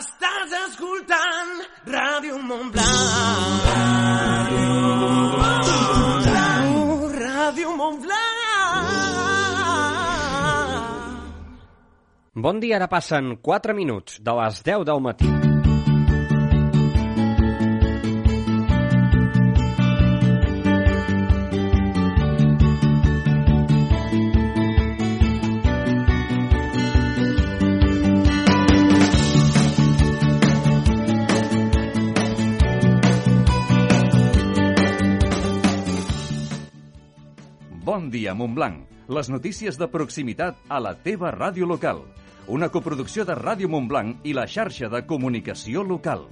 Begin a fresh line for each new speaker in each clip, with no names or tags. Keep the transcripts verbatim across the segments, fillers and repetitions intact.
Estàs escoltant Ràdio Montblanc. Ràdio Montblanc. Ràdio Montblanc.
Bon dia, ara passen quatre minuts de les deu del matí.
Bon dia, Montblanc. Les notícies de proximitat a la teva ràdio local. Una coproducció de Ràdio Montblanc i la xarxa de comunicació local.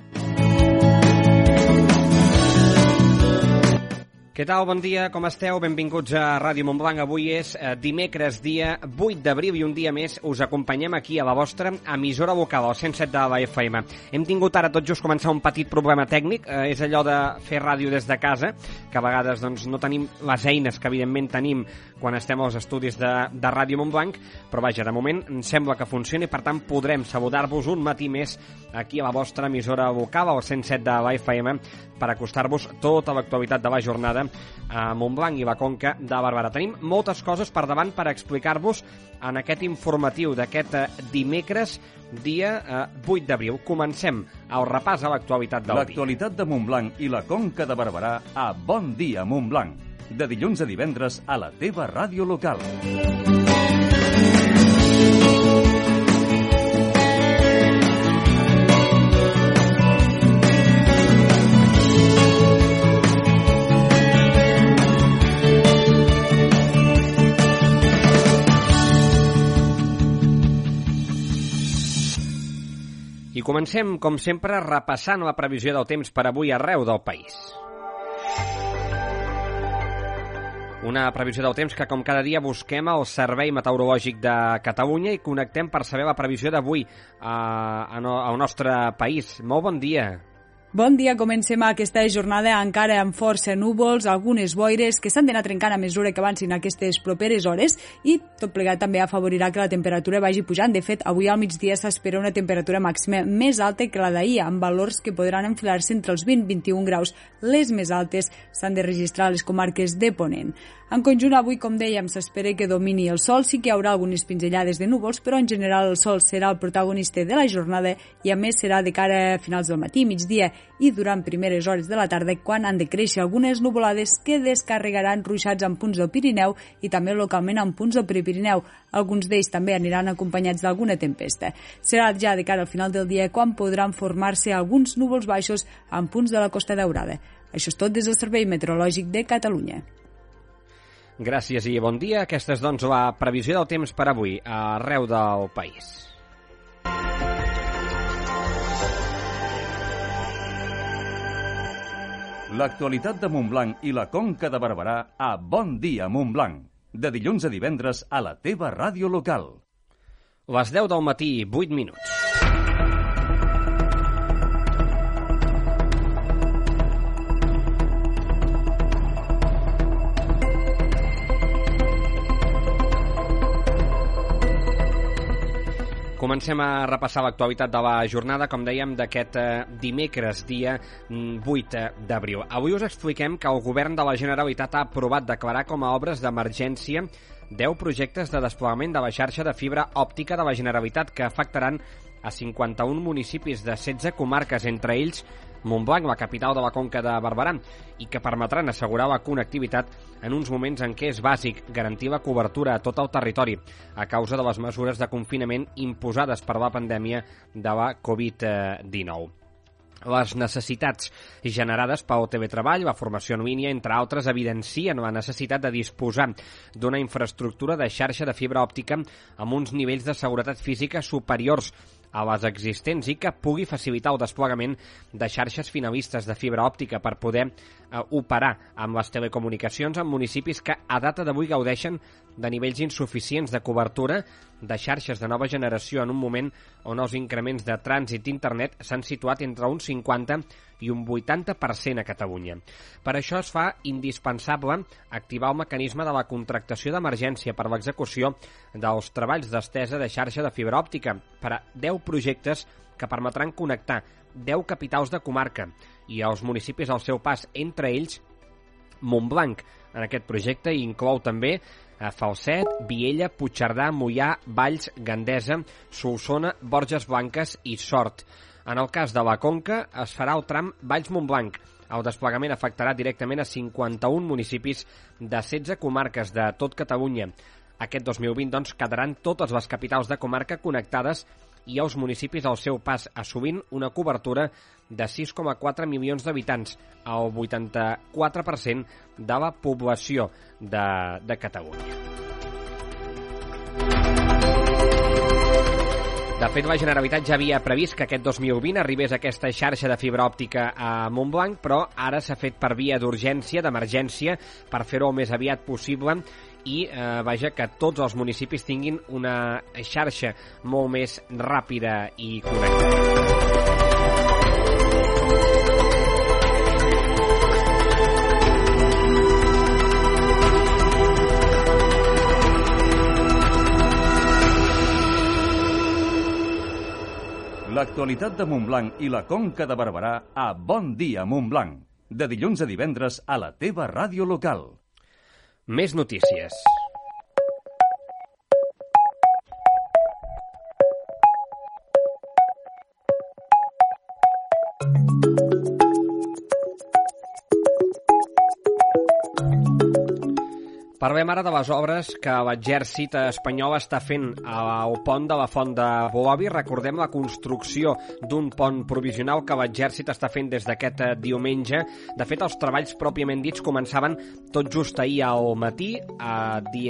Què tal? Bon dia, com esteu? Benvinguts a Ràdio Montblanc. Avui és eh, dimecres, dia vuit d'abril, i un dia més us acompanyem aquí a la vostra emissora local, al cent set de la F M. Hem tingut ara tot just començar un petit problema tècnic, eh, és allò de fer ràdio des de casa, que a vegades doncs, no tenim les eines que evidentment tenim quan estem als estudis de, de Ràdio Montblanc, però vaja, de moment em sembla que funciona i per tant podrem saludar-vos un matí més aquí a la vostra emissora local, al cent set de la F M, per acostar-vos tota l'actualitat de la jornada a Montblanc i la Conca de Barberà. Tenim moltes coses per davant per explicar-vos en aquest informatiu d'aquest dimecres, dia eh, vuit d'abril. Comencem el repàs a l'actualitat del dia.
L'actualitat de Montblanc i la Conca de Barberà a Bon Dia Montblanc. De dilluns a divendres a la teva ràdio local.
I comencem, com sempre, repassant la previsió del temps per avui arreu del país. Una previsió del temps que, com cada dia, busquem al Servei Meteorològic de Catalunya i connectem per saber la previsió d'avui al nostre país. Molt bon dia.
Bon dia, comencem aquesta jornada encara amb força núvols, algunes boires que s'han d'anar trencant a mesura que avancin aquestes properes hores i tot plegat també afavorirà que la temperatura vagi pujant. De fet, avui al migdia s'espera una temperatura màxima més alta que la d'ahir, amb valors que podran enfilar-se entre els vint i vint i un graus. Les més altes s'han de registrar a les comarques de Ponent. En conjunt, avui, com dèiem, s'espera que domini el sol. Sí que hi haurà algunes pinzellades de núvols, però en general el sol serà el protagonista de la jornada i a més serà de cara a finals del matí, migdia i durant primeres hores de la tarda, quan han de créixer algunes nuvolades que descarregaran ruixats en punts del Pirineu i també localment en punts del Prepirineu. Alguns d'ells també aniran acompanyats d'alguna tempesta. Serà ja de cara al final del dia quan podran formar-se alguns núvols baixos en punts de la Costa Daurada. Això és tot des del Servei Meteorològic de Catalunya.
Gràcies i bon dia. Aquesta és, doncs, la previsió del temps per avui arreu del país.
L'actualitat de Montblanc i la Conca de Barberà a Bon Dia Montblanc. De dilluns a divendres a la teva ràdio local.
Les deu del matí, vuit minuts. Comencem a repassar l'actualitat de la jornada, com dèiem, d'aquest eh, dimecres, dia vuit d'abril. Avui us expliquem que el govern de la Generalitat ha aprovat declarar com a obres d'emergència deu projectes de desplegament de la xarxa de fibra òptica de la Generalitat que afectaran a cinquanta-un municipis de setze comarques, entre ells Montblanc, la capital de la Conca de Barberà, i que permetran assegurar la connectivitat en uns moments en què és bàsic garantir la cobertura a tot el territori a causa de les mesures de confinament imposades per la pandèmia de la covid dinou. Les necessitats generades pel teletreball, la formació en línia, entre altres, evidencien la necessitat de disposar d'una infraestructura de xarxa de fibra òptica amb uns nivells de seguretat física superiors a les existents i que pugui facilitar el desplegament de xarxes finalistes de fibra òptica per poder eh, operar amb les telecomunicacions en municipis que a data d'avui gaudeixen de nivells insuficients de cobertura de xarxes de nova generació en un moment on els increments de trànsit d'internet s'han situat entre un cinquanta i un vuitanta per cent a Catalunya. Per això es fa indispensable activar el mecanisme de la contractació d'emergència per l'execució dels treballs d'estesa de xarxa de fibra òptica per a deu projectes que permetran connectar deu capitals de comarca i els municipis al seu pas, entre ells Montblanc. En aquest projecte inclou també a Falset, Viella, Puigcerdà, Moià, Valls, Gandesa, Solsona, Borges Blanques i Sort. En el cas de la Conca es farà el tram Valls-Montblanc. El desplegament afectarà directament a cinquanta-un municipis de setze comarques de tot Catalunya. Aquest dos mil vint, doncs, quedaran totes les capitals de comarca connectades i els municipis al seu pas, assumint una cobertura de sis coma quatre milions d'habitants, el vuitanta-quatre per cent de la població de, de Catalunya. De fet, la Generalitat ja havia previst que aquest dos mil vint arribés aquesta xarxa de fibra òptica a Montblanc, però ara s'ha fet per via d'urgència, d'emergència, per fer-ho el més aviat possible i eh, vaja, que tots els municipis tinguin una xarxa molt més ràpida i connectada.
L'actualitat de Montblanc i la Conca de Barberà a Bon Dia Montblanc. De dilluns a divendres a la teva ràdio local.
Més notícies. Parlem ara de les obres que l'exèrcit espanyol està fent al pont de la Font de Boavi. Recordem la construcció d'un pont provisional que l'exèrcit està fent des d'aquest diumenge. De fet, els treballs pròpiament dits començaven tot just ahir al matí.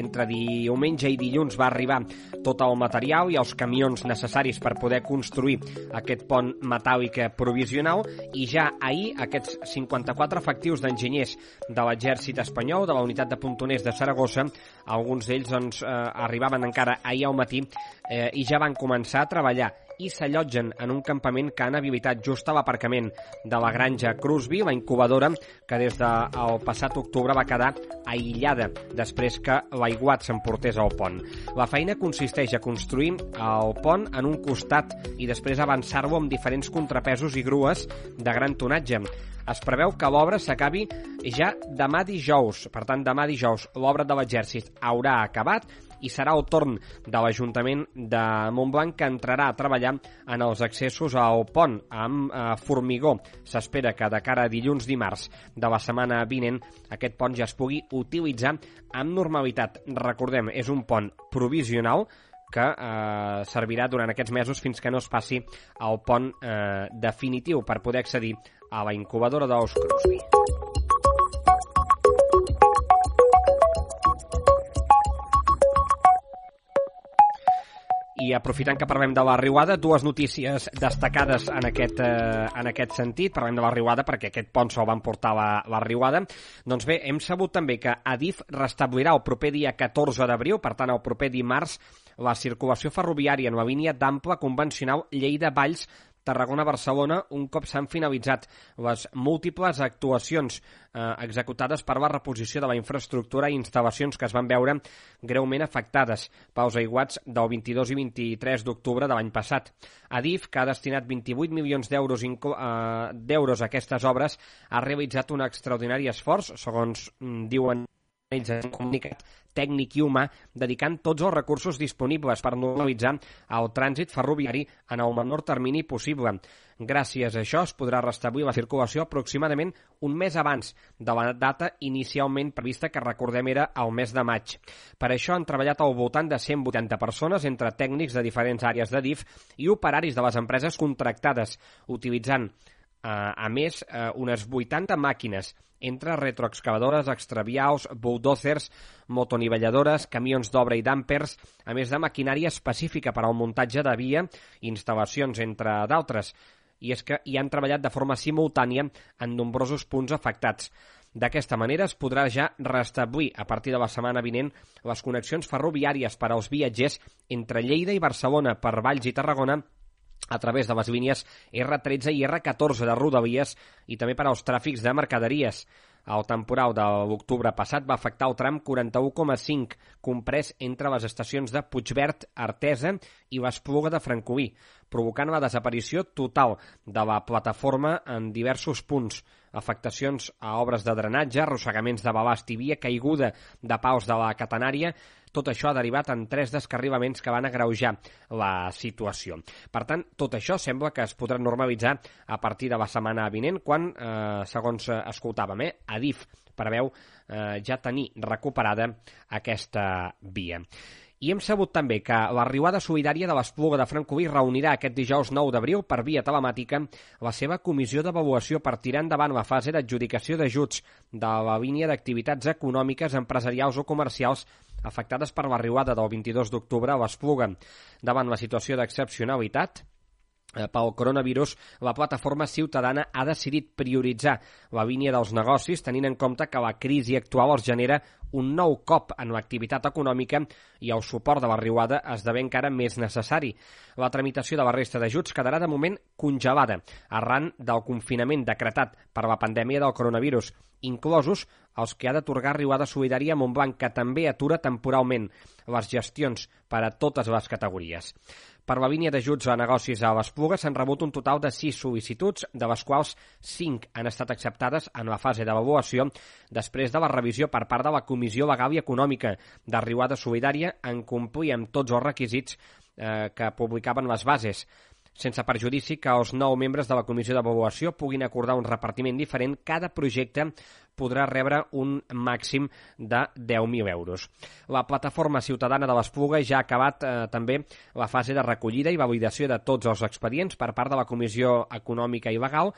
Entre diumenge i dilluns va arribar tot el material i els camions necessaris per poder construir aquest pont metàl·lic provisional, i ja ahir aquests cinquanta-quatre efectius d'enginyers de l'exèrcit espanyol, de la unitat de pontoners de Saragossa, alguns d'ells doncs, eh, arribaven encara ahir al matí eh, i ja van començar a treballar i s'allotgen en un campament que han habilitat just a l'aparcament de la granja Crosby, la incubadora que des del passat octubre va quedar aïllada després que l'aiguat s'emportés al pont. La feina consisteix a construir el pont en un costat i després avançar-lo amb diferents contrapesos i grues de gran tonatge. Es preveu que l'obra s'acabi ja demà dijous. Per tant, demà dijous l'obra de l'exèrcit haurà acabat i serà el torn de l'Ajuntament de Montblanc que entrarà a treballar en els accessos al pont amb eh, formigó. S'espera que de cara a dilluns dimarts de la setmana vinent aquest pont ja es pugui utilitzar amb normalitat. Recordem, és un pont provisional que eh, servirà durant aquests mesos fins que no es passi al pont eh, definitiu per poder accedir a la incubadora d'Ous Crosby. I aprofitant que parlem de la riuada, dues notícies destacades en aquest, eh, en aquest sentit. Parlem de la riuada perquè aquest pont se'l van portar la, la riuada. Doncs bé, hem sabut també que Adif restablirà el proper dia catorze d'abril, per tant el proper dimarts, la circulació ferroviària en la línia d'ample convencional Lleida-Valls Tarragona-Barcelona un cop s'han finalitzat les múltiples actuacions eh, executades per la reposició de la infraestructura i instal·lacions que es van veure greument afectades pels aiguats del vint-i-dos i vint-i-tres d'octubre de l'any passat. Adif, que ha destinat vint-i-vuit milions d'euros eh, d'euros a aquestes obres, ha realitzat un extraordinari esforç, segons mm, diuen ells en un comunicat tècnic i humà, dedicant tots els recursos disponibles per normalitzar el trànsit ferroviari en el menor termini possible. Gràcies a això es podrà restablir la circulació aproximadament un mes abans de la data inicialment prevista, que recordem era el mes de maig. Per això han treballat al voltant de cent vuitanta persones entre tècnics de diferents àrees de D I F i operaris de les empreses contractades, utilitzant a més, unes vuitanta màquines, entre retroexcavadores, extravials, bulldozers, motonivelladores, camions d'obra i dampers, a més de maquinària específica per al muntatge de via i instal·lacions, entre d'altres. I és que hi han treballat de forma simultània en nombrosos punts afectats. D'aquesta manera es podrà ja restablir a partir de la setmana vinent les connexions ferroviàries per als viatgers entre Lleida i Barcelona per Valls i Tarragona a través de les línies erre tretze i erre catorze de Rodalies i també per als tràfics de mercaderies. El temporal de l'octubre passat va afectar el tram quaranta-u coma cinc, comprès entre les estacions de Puigverd, Artesa i l'Espluga de Francolí, provocant la desaparició total de la plataforma en diversos punts, afectacions a obres de drenatge, arrossegaments de balast i via, caiguda de pals de la catenària. Tot això ha derivat en tres descarrilaments que van agreujar la situació. Per tant, tot això sembla que es podrà normalitzar a partir de la setmana vinent, quan, eh, segons escoltàvem, eh, Adif preveu eh, ja tenir recuperada aquesta via. I hem sabut també que la riuada solidària de l'Espluga de Francolí reunirà aquest dijous nou d'abril per via telemàtica la seva comissió d'avaluació per tirar endavant la fase d'adjudicació d'ajuts de la línia d'activitats econòmiques, empresarials o comercials afectades per la riuada del vint-i-dos d'octubre a l'Espluga. Davant la situació d'excepcionalitat pel coronavirus, la plataforma ciutadana ha decidit prioritzar la línia dels negocis, tenint en compte que la crisi actual els genera un nou cop en l'activitat econòmica i el suport de la riuada esdevé encara més necessari. La tramitació de la resta d'ajuts quedarà de moment congelada arran del confinament decretat per la pandèmia del coronavirus, inclosos els que ha d'atorgar Riuada Solidària a Montblanc, que també atura temporalment les gestions per a totes les categories. Per la línia d'ajuts a negocis a l'Espluga s'han rebut un total de sis sol·licituds, de les quals cinc han estat acceptades en la fase d'avaluació després de la revisió per part de la Comissió Legal i Econòmica de Riuada Solidària en complir amb tots els requisits eh, que publicaven les bases, sense perjudici que els nou membres de la comissió d'avaluació puguin acordar un repartiment diferent. Cada projecte podrà rebre un màxim de deu mil euros. La plataforma ciutadana de l'Espluga ja ha acabat eh, també la fase de recollida i validació de tots els expedients per part de la Comissió Econòmica i Legal,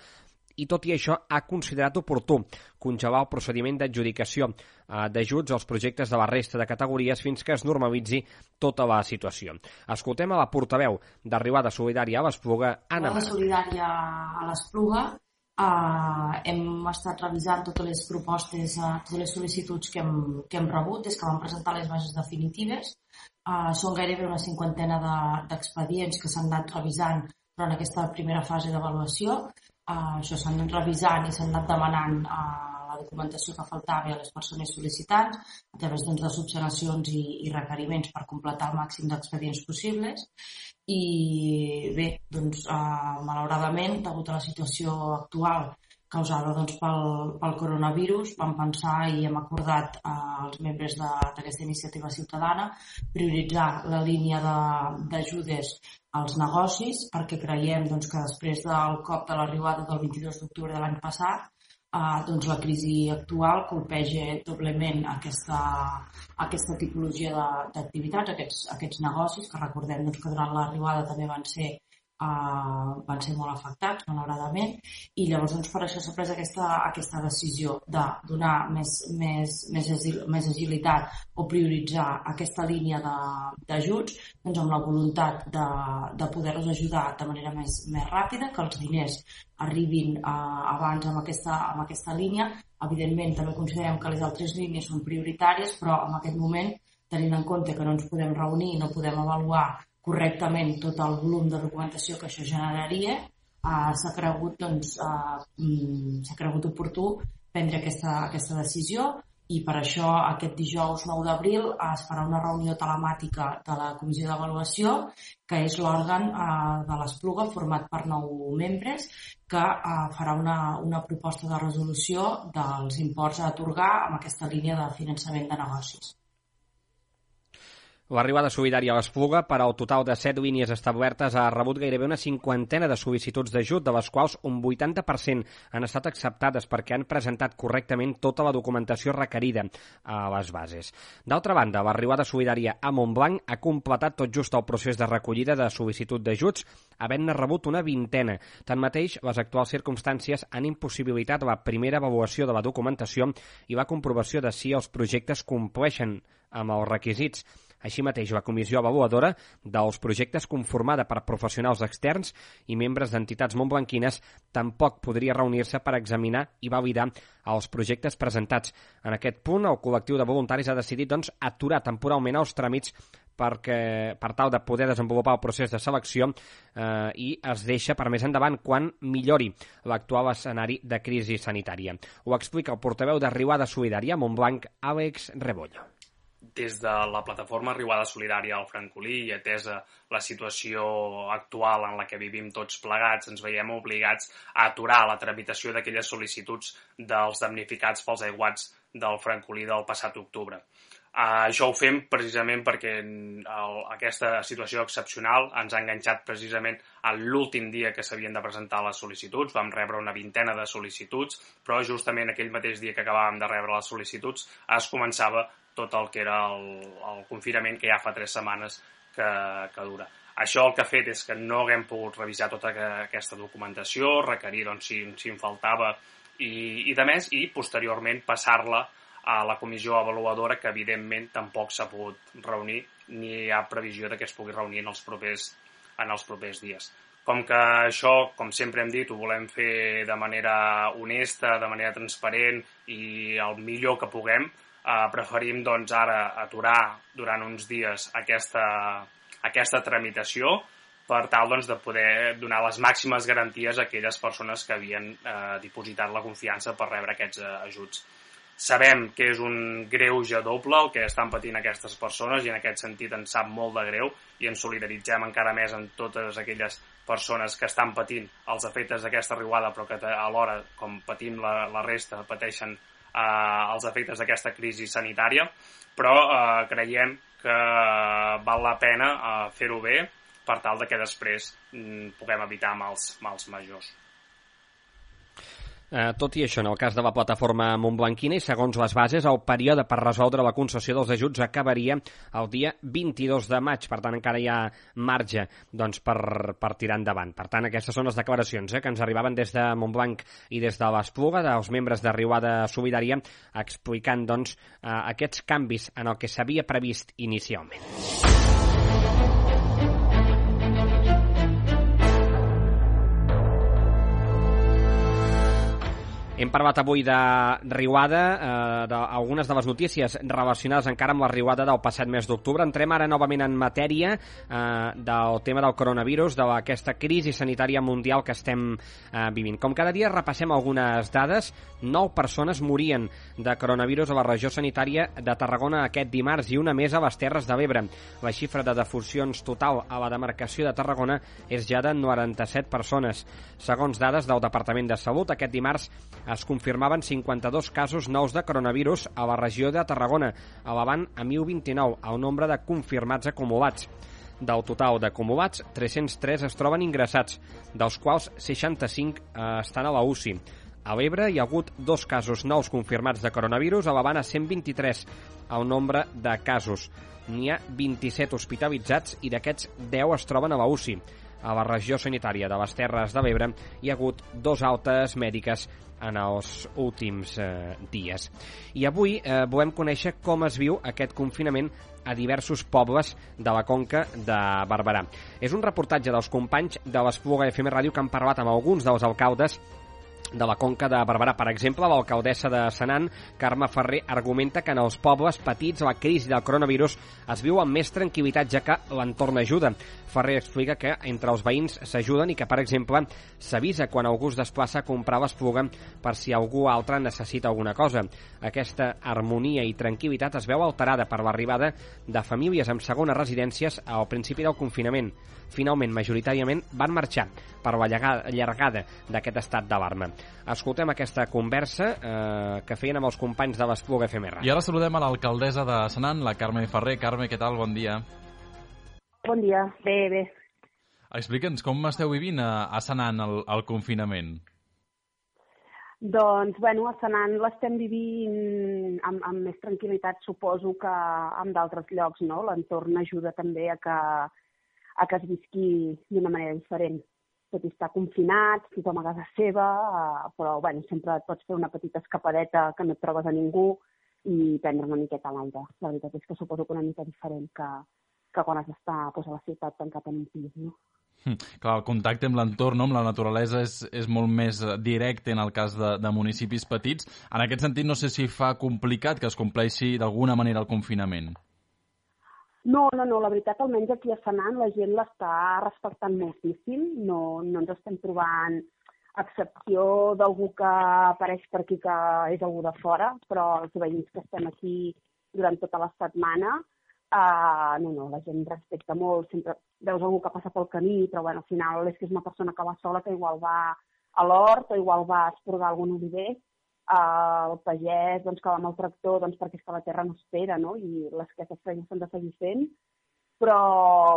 i tot i això ha considerat oportú congelar el procediment d'adjudicació eh, d'ajuts als projectes de la resta de categories fins que es normalitzi tota la situació. Escoltem a la portaveu de Riuada Solidària a l'Espluga, Anna Mar.
Riuada Solidària a l'Espluga eh, hem estat revisant totes les propostes, eh, totes les sol·licituds que hem, que hem rebut des que vam presentar les bases definitives. Eh, són gairebé una cinquantena de, d'expedients que s'han anat revisant durant aquesta primera fase d'avaluació. Uh, això s'han anat revisant i s'han anat demanant uh, la documentació que faltava a les persones sol·licitants a través doncs, de subsanacions i, i requeriments per completar el màxim d'expedients possibles. I bé, doncs, uh, malauradament, degut a la situació actual causada doncs, pel, pel coronavirus, vam pensar i hem acordat uh, els membres d'aquesta iniciativa ciutadana prioritzar la línia d'ajudes als negocis, perquè creiem doncs, que després del cop de la riuada del vint-i-dos d'octubre de l'any passat, eh, doncs, la crisi actual colpeja doblement aquesta, aquesta tipologia d'activitats, aquests, aquests negocis, que recordem doncs, que durant la riuada també van ser, eh, van ser molt afectats, malauradament, i llavors doncs, per això s'ha pres aquesta, aquesta decisió de donar més, més, més, agil, més agilitat o prioritzar aquesta línia d'ajuts doncs, amb la voluntat de, de poder-los ajudar de manera més, més ràpida, que els diners arribin eh, abans amb aquesta, amb aquesta línia. Evidentment, també considerem que les altres línies són prioritàries, però en aquest moment, tenint en compte que no ens podem reunir, no podem avaluar correctament tot el volum de documentació que això generaria, eh, s'ha cregut, doncs, eh, s'ha cregut oportú prendre aquesta, aquesta decisió, i per això aquest dijous nou d'abril es farà una reunió telemàtica de la Comissió d'Avaluació, que és l'òrgan eh, de l'Espluga format per nou membres, que eh, farà una, una proposta de resolució dels imports a atorgar amb aquesta línia de finançament de negocis.
La Riuada Solidària a l'Espluga, per al total de set línies establertes, ha rebut gairebé una cinquantena de sol·licituds d'ajut, de les quals un vuitanta per cent han estat acceptades perquè han presentat correctament tota la documentació requerida a les bases. D'altra banda, la Riuada Solidària a Montblanc ha completat tot just el procés de recollida de sol·licitud d'ajuts, havent-ne rebut una vintena. Tanmateix, les actuals circumstàncies han impossibilitat la primera avaluació de la documentació i la comprovació de si els projectes compleixen amb els requisits. Així mateix, la comissió avaluadora dels projectes, conformada per professionals externs i membres d'entitats montblanquines, tampoc podria reunir-se per examinar i validar els projectes presentats. En aquest punt, el col·lectiu de voluntaris ha decidit doncs, aturar temporalment els tràmits perquè, per tal de poder desenvolupar el procés de selecció eh, i es deixa per més endavant quan millori l'actual escenari de crisi sanitària. Ho explica el portaveu de Riuada Solidària, Montblanc, Àlex Rebollo.
Des de la plataforma Riuada Solidària al Francolí i atesa la situació actual en la que vivim tots plegats, ens veiem obligats a aturar la tramitació d'aquelles sol·licituds dels damnificats pels aiguats del Francolí del passat octubre. Uh, això ho fem precisament perquè el, aquesta situació excepcional ens ha enganxat precisament a l'últim dia que s'havien de presentar les sol·licituds. Vam rebre una vintena de sol·licituds, però justament aquell mateix dia que acabàvem de rebre les sol·licituds es començava tot el que era el, el confinament que ja fa tres setmanes que, que dura. Això el que ha fet és que no haguem pogut revisar tota aquesta documentació, requerir doncs, si, si en faltava i, i de més, i posteriorment passar-la a la comissió avaluadora, que evidentment tampoc s'ha pogut reunir ni hi ha previsió de que es pugui reunir en els propers, en els propers dies. Com que això, com sempre hem dit, ho volem fer de manera honesta, de manera transparent i el millor que puguem, eh, preferim doncs, ara aturar durant uns dies aquesta, aquesta tramitació per tal doncs, de poder donar les màximes garanties a aquelles persones que havien eh, dipositat la confiança per rebre aquests eh, ajuts. Sabem que és un greuge doble el que estan patint aquestes persones i en aquest sentit ens sap molt de greu i ens solidaritzem encara més amb totes aquelles persones que estan patint els efectes d'aquesta riuada però que alhora, com patim la, la resta, pateixen eh, els efectes d'aquesta crisi sanitària, però eh, creiem que val la pena eh, fer-ho bé per tal de que després mm, puguem evitar mals, mals majors.
Eh, tot i això, en el cas de la plataforma montblanquina i segons les bases, el període per resoldre la concessió dels ajuts acabaria el dia vint-i-dos de maig, per tant encara hi ha marge doncs, per, per tirar endavant. Per tant, aquestes són les declaracions eh, que ens arribaven des de Montblanc i des de l'Espluga, dels membres de Riuada Solidària, explicant doncs, eh, aquests canvis en el que s'havia previst inicialment. Hem parlat avui de riuada, eh, d'algunes de les notícies relacionades encara amb la riuada del passat mes d'octubre. Entrem ara novament en matèria eh, del tema del coronavirus, d'aquesta crisi sanitària mundial que estem eh, vivint. Com cada dia repassem algunes dades. Nou persones morien de coronavirus a la regió sanitària de Tarragona aquest dimarts i una més a les Terres de l'Ebre. La xifra de defuncions total a la demarcació de Tarragona és ja de noranta-set persones. Segons dades del Departament de Salut, aquest dimarts es confirmaven cinquanta-dos casos nous de coronavirus a la regió de Tarragona, elevant a deu vint-i-nou el nombre de confirmats acumulats. Del total d'acumulats, tres-cents tres es troben ingressats, dels quals seixanta-cinc eh, estan a la U C I. A l'Ebre hi ha hagut dos casos nous confirmats de coronavirus, elevant a cent vint-i-tres el nombre de casos. N'hi ha vint-i-set hospitalitzats i d'aquests deu es troben a la U C I. A la regió sanitària de les Terres de l'Ebre hi ha hagut dos altes mèdiques en els últims eh, dies. I avui eh, volem conèixer com es viu aquest confinament a diversos pobles de la Conca de Barberà. És un reportatge dels companys de l'Espluga F M Ràdio que han parlat amb alguns dels alcaldes de la Conca de Barberà. Per exemple, l'alcaldessa de Senan, Carme Ferrer, argumenta que en els pobles petits la crisi del coronavirus es viu amb més tranquil·litat, ja que l'entorn ajuda. Ferrer explica que entre els veïns s'ajuden i que, per exemple, s'avisa quan algú es desplaça a comprar l'Espluga per si algú altre necessita alguna cosa. Aquesta harmonia i tranquil·litat es veu alterada per l'arribada de famílies amb segones residències al principi del confinament. Finalment, majoritàriament, van marxar per la llargada d'aquest estat d'alarma. Escoltem aquesta conversa eh, que feien amb els companys de l'Espluga F M R.
I ara saludem a l'alcaldessa de Senan, la Carme Ferrer. Carme, què tal? Bon dia.
Bon dia. Bé, bé.
Explica'ns com esteu vivint a, a Senan el, el confinament.
Doncs, bueno, a Senan l'estem vivint amb, amb més tranquil·litat, suposo que en d'altres llocs, no? L'entorn ajuda també a que, a que es visqui d'una manera diferent. Tot i estar confinat, tothom a casa seva, però bueno, sempre et pots fer una petita escapadeta que no et trobes a ningú i prendre una miqueta l'aire. La veritat és que suposo que una mica diferent que, que quan has d'estar pues, a la ciutat tancat en un pis, no?
Hm, clar, el contacte amb l'entorn, no? Amb la naturalesa és, és molt més directe en el cas de, de municipis petits. En aquest sentit, no sé si fa complicat que es compleixi d'alguna manera el confinament.
No, no, no, la veritat, almenys aquí a Senan la gent l'està respectant moltíssim, no, no ens estem trobant a excepció d'algú que apareix per aquí que és algú de fora, però els veïns que estem aquí durant tota la setmana, uh, no, no, la gent respecta molt, sempre veus algú que passa pel camí, però bueno, al final és que és una persona que va sola, que igual va a l'hort o igual va a esporgar algun oliver, uh, el pagès doncs, que va amb el tractor doncs, perquè és que la terra no espera, no? I les que aquestes feines s'han de seguir fent, però,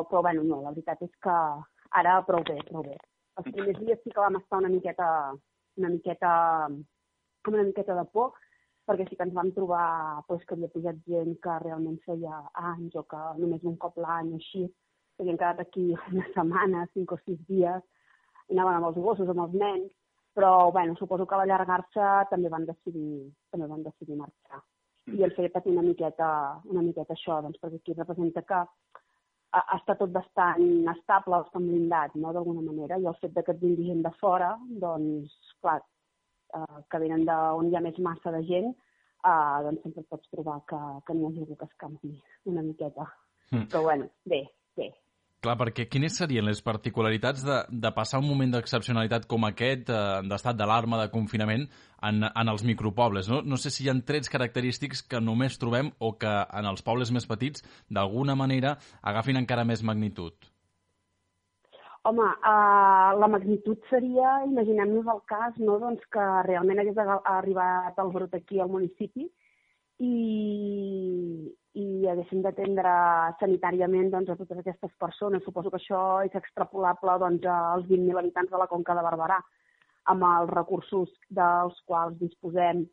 però bueno, no, la veritat és que ara prou bé, prou bé. Els primers dies sí que vam estar una miqueta, una miqueta, com una miqueta de por, perquè sí que ens vam trobar pues, que havia pujat gent que realment feia anys o que només un cop l'any o així, que havien quedat aquí una setmana, cinc o sis dies, i anaven amb els gossos, amb els nens, però bueno, suposo que a l'allargar-se també van decidir, també van decidir marxar. I el fet patir una miqueta, una miqueta això, doncs, perquè aquí representa que està tot bastant estable, bastant blindat, no?, d'alguna manera, i el fet que et vingui gent de fora, doncs, clar, eh, que venen d'on hi ha més massa de gent, eh, doncs sempre pots trobar que, que n'hi ha algú que es canvi una miqueta. Mm. Però bueno, bé, bé.
Clar, perquè quines serien les particularitats de, de passar un moment d'excepcionalitat com aquest, eh, d'estat d'alarma, de confinament, en, en els micropobles? No? no sé si hi ha trets característics que només trobem o que en els pobles més petits, d'alguna manera, agafin encara més magnitud.
Home, uh, la magnitud seria, imaginem-nos el cas, no? doncs que realment hagués arribat el brot aquí al municipi i, i haguéssim d'atendre sanitàriament doncs, a totes aquestes persones. Suposo que això és extrapolable doncs, als vint mil habitants de la Conca de Barberà. Amb els recursos dels quals disposem,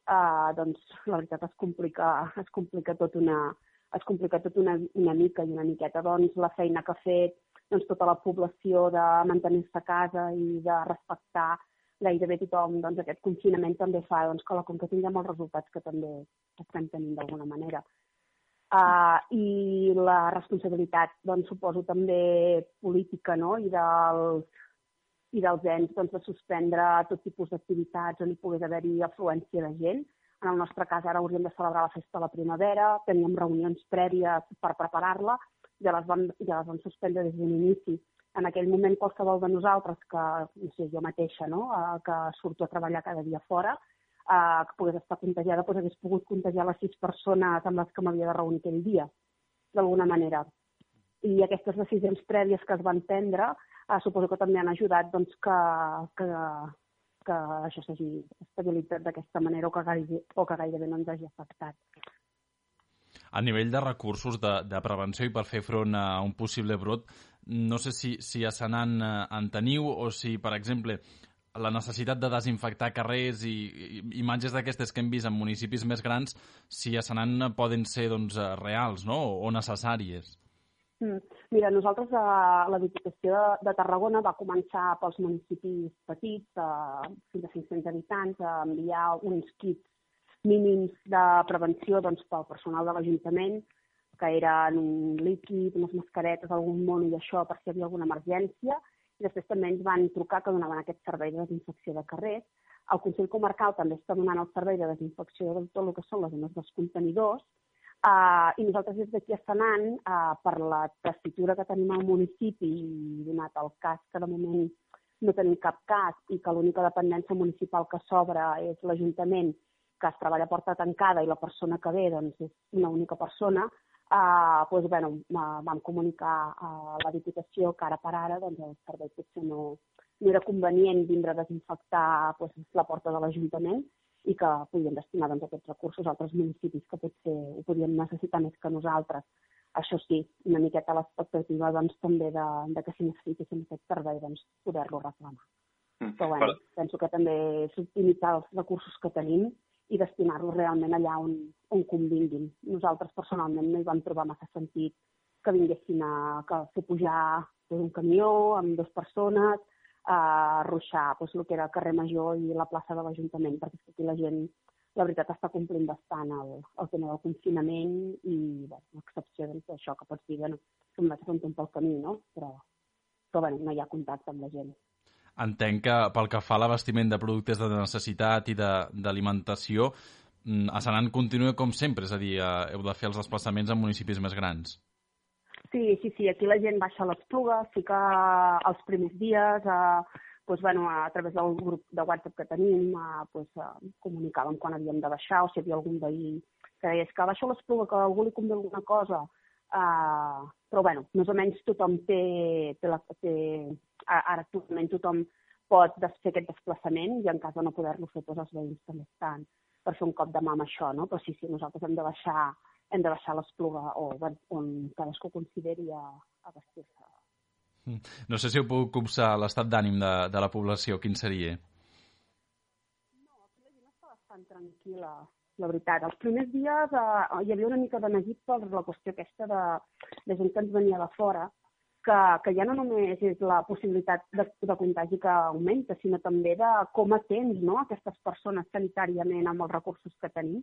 eh, doncs, la veritat es complica, es complica tot, una, es complica tot una, una mica i una miqueta. Doncs, la feina que ha fet doncs, tota la població de mantenir-se a casa i de respectar gairebé tothom, doncs, aquest confinament també fa doncs, que la Conca tinguem els resultats que també estem tenint d'alguna manera. Uh, I la responsabilitat, doncs, suposo també política, no?, i dels, i dels ens doncs, de suspendre tot tipus d'activitats on hi pogués haver-hi afluència de gent. En el nostre cas, ara hauríem de celebrar la festa de la primavera, teníem reunions prèvies per preparar-la, ja les vam, ja les vam suspendre des d'un inici. En aquell moment, qualsevol de nosaltres, que no sé, jo mateixa, no?, uh, que surto a treballar cada dia fora, uh, que pogués estar contagiada, doncs hagués pogut contagiar les sis persones amb les que m'havia de reunir aquell dia, d'alguna manera. I aquestes decisions prèvies que es van prendre, uh, suposo que també han ajudat doncs, que, que, que això s'hagi estabilitzat d'aquesta manera o que, gairebé, o que gairebé no ens hagi afectat.
A nivell de recursos de, de prevenció i per fer front a un possible brot, no sé si, si a Senan en teniu o si, per exemple, la necessitat de desinfectar carrers i, i imatges d'aquestes que hem vist en municipis més grans, si a Senan poden ser doncs, reals, no?, o necessàries.
Mm. Mira, nosaltres a la Diputació de, de Tarragona va començar pels municipis petits, eh, fins a cinc-cents habitants, a enviar uns kits mínims de prevenció doncs, pel personal de l'Ajuntament, que eren un líquid, unes mascaretes, algun mono i això per si hi havia alguna emergència. I després també ens van trucar que donaven aquest servei de desinfecció de carrers. El Consell Comarcal també està donant el servei de desinfecció de tot el que són les zones dels contenidors. Uh, I nosaltres des d'aquí a Senan, uh, per la tessitura que tenim al municipi i donat el cas que de moment no tenim cap cas i que l'única dependència municipal que s'obre és l'Ajuntament, que es treballa a porta tancada i la persona que ve doncs, és una única persona, uh, doncs, bueno, vam comunicar a la Diputació que ara per ara doncs, el servei potser no, no era convenient vindre a desinfectar doncs, la porta de l'Ajuntament i que podien destinar doncs, aquests recursos a altres municipis que potser ho podien necessitar més que nosaltres. Això sí, una miqueta l'expectativa doncs, també de, de que si necessitéssim aquest servei doncs, poder-lo reclamar. Mm. Però bueno, penso que també és optimitzar els recursos que tenim i destinar-los realment allà on, on convinguin. Nosaltres personalment no hi vam trobar massa sentit que vinguessin a que fer pujar doncs, un camió amb dues persones, a ruixar doncs, el que era el carrer Major i la plaça de l'Ajuntament, perquè aquí la gent, la veritat, està complint bastant el, el tema del confinament i bé, l'excepció doncs, d'això que pots dir, bueno, que em vaig fer un temps pel camí, no? Però, però bueno, no hi ha contacte amb la gent.
Entenc que pel que fa a l'abastiment de productes de necessitat i d'alimentació, a Senan continua com sempre, és a dir, heu de fer els desplaçaments en municipis més grans.
Sí, sí, sí, aquí la gent baixa a l'Espluga, sí que els primers dies, eh, doncs, bueno, a través del grup de WhatsApp que tenim, eh, doncs, eh, comunicàvem quan havíem de baixar, o si hi havia algun veí que deies que baixo a l'Espluga, que a algú li convé alguna cosa, uh, però bueno, més o menys tothom té, té, la, té ara actualment tothom pot fer aquest desplaçament i en cas de no poder-lo fer, doncs els veïns també estan per fer un cop de mà amb això, no? Però sí, sí, nosaltres hem de baixar, hem de baixar a l'Espluga o on cadascú consideri a, a vestir-se.
No sé si heu pogut copsar l'estat d'ànim de, de la població, quin seria?
No, aquí la gent està bastant tranquil·la. La veritat, els primers dies eh, hi havia una mica de neguit per la qüestió aquesta de, de gent que ens venia de fora, que, que ja no només és la possibilitat de, de contagi que augmenta, sinó també de com atens, no?, aquestes persones sanitàriament amb els recursos que tenim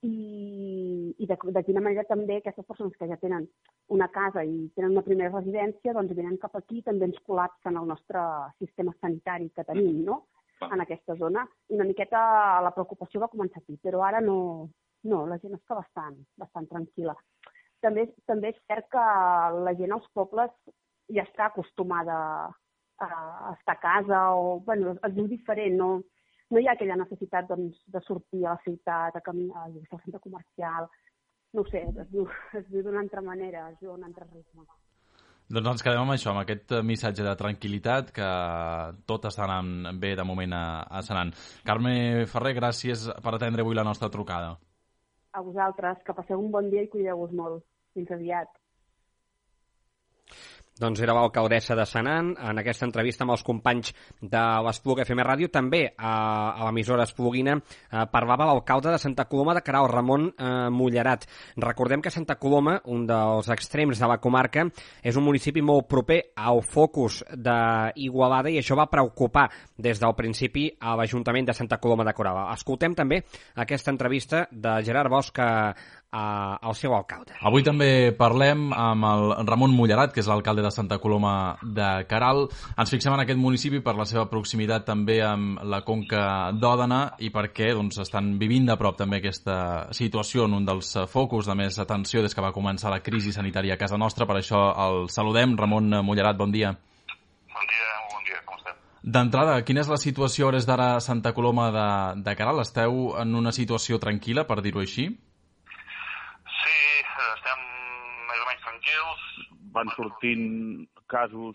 i, i de, de quina manera també aquestes persones que ja tenen una casa i tenen una primera residència, doncs venen cap aquí i també ens col·lapsen el nostre sistema sanitari que tenim, no?, en aquesta zona, i una miqueta la preocupació va començar aquí, però ara no, no la gent està bastant, bastant tranquil·la. També, també és cert que la gent als pobles ja està acostumada a estar a casa, o bueno, es diu diferent, no, no hi ha aquella necessitat doncs, de sortir a la ciutat, a caminar al centre comercial, no ho sé, es diu, es diu d'una altra manera, es diu d'un altre ritme.
Doncs ens quedem amb això, amb aquest missatge de tranquil·litat, que tot està anant bé de moment a, a Senan. Carme Ferrer, gràcies per atendre avui la nostra trucada.
A vosaltres, que passeu un bon dia i cuideu-vos molt. Fins aviat.
Doncs era l'alcaldessa de Senan en aquesta entrevista amb els companys de l'Espluga F M Ràdio. També a, a l'emissora espluguina eh, parlava l'alcalde de Santa Coloma de Queralt, Ramon eh, Mullerat. Recordem que Santa Coloma, un dels extrems de la comarca, és un municipi molt proper al focus d'Igualada i això va preocupar des del principi a l'Ajuntament de Santa Coloma de Queralt. Escoltem també aquesta entrevista de Gerard Bosch al seu alcalde.
Avui també parlem amb el Ramon Mullerat, que és l'alcalde de Santa Coloma de Queralt. Ens fixem en aquest municipi per la seva proximitat també amb la Conca d'Òdena i perquè doncs, estan vivint de prop també aquesta situació en un dels focus de més atenció des que va començar la crisi sanitària a casa nostra. Per això el saludem. Ramon Mullerat, bon dia.
Bon dia, bon dia, com estem?
D'entrada, quina és la situació a hores d'ara a Santa Coloma de, de Queralt? Esteu en una situació tranquil·la, per dir-ho així?
Sí, estem més o menys tranquils. Van sortint casos,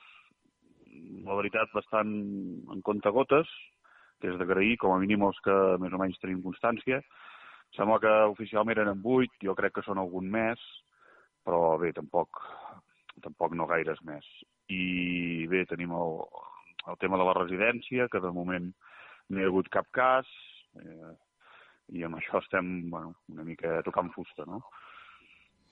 la veritat, bastant en comptagotes, que és d'agrair, com a mínim els que més o menys tenim constància. Sembla que oficialment eren vuit, jo crec que són algun més, però bé, tampoc, tampoc no gaires més. I bé, tenim el, el tema de la residència, que de moment no hi ha hagut cap cas, eh, i amb això estem bueno, una mica tocant fusta, no?